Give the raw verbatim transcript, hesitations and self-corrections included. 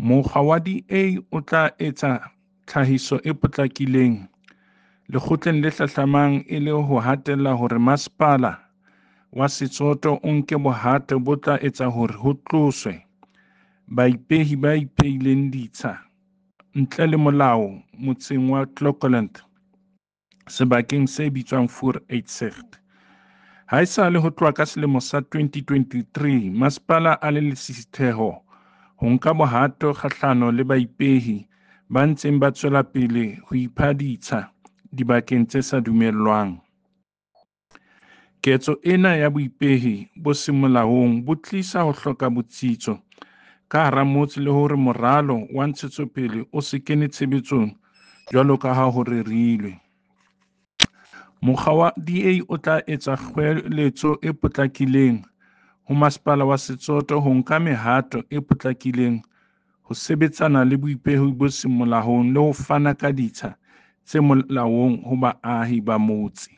Mokga wa D A o tla etsa tlhahiso e potlakileng lekgotleng le hlahlamang e le ho hatella hore Masepala wa Setsoto o nke bohato bo tla etsa hore ho tloswe baipehi ba ipehileng ditsha ntle le molao motseng wa Clocolan sebakeng se bitswang Vooruitsig. Haesale ho tloha ka selemo sa twenty twenty-three, masepala a le lesisitheho ho nka bohato kgahlano le baipehi ba ntseng ba tswela pele ho ipha ditsha dibakeng tse sa dumellwang. Ketso ena ya boipehi bo seng molaong bo tlisa ho hloka botsitso ka hara motse le hore moralo wa ntshetsopele o se kene tshebetsong jwalo ka ha ho rerilwe. Mokga wa D A o tla etsa kgoeletso e potlakileng ho Masepala wa Setsoto ho nka mehato e potlakileng ho sebetsana le boipehi bo seng molaong le ho fana ka ditsha tse molaong ho baahi ba motse.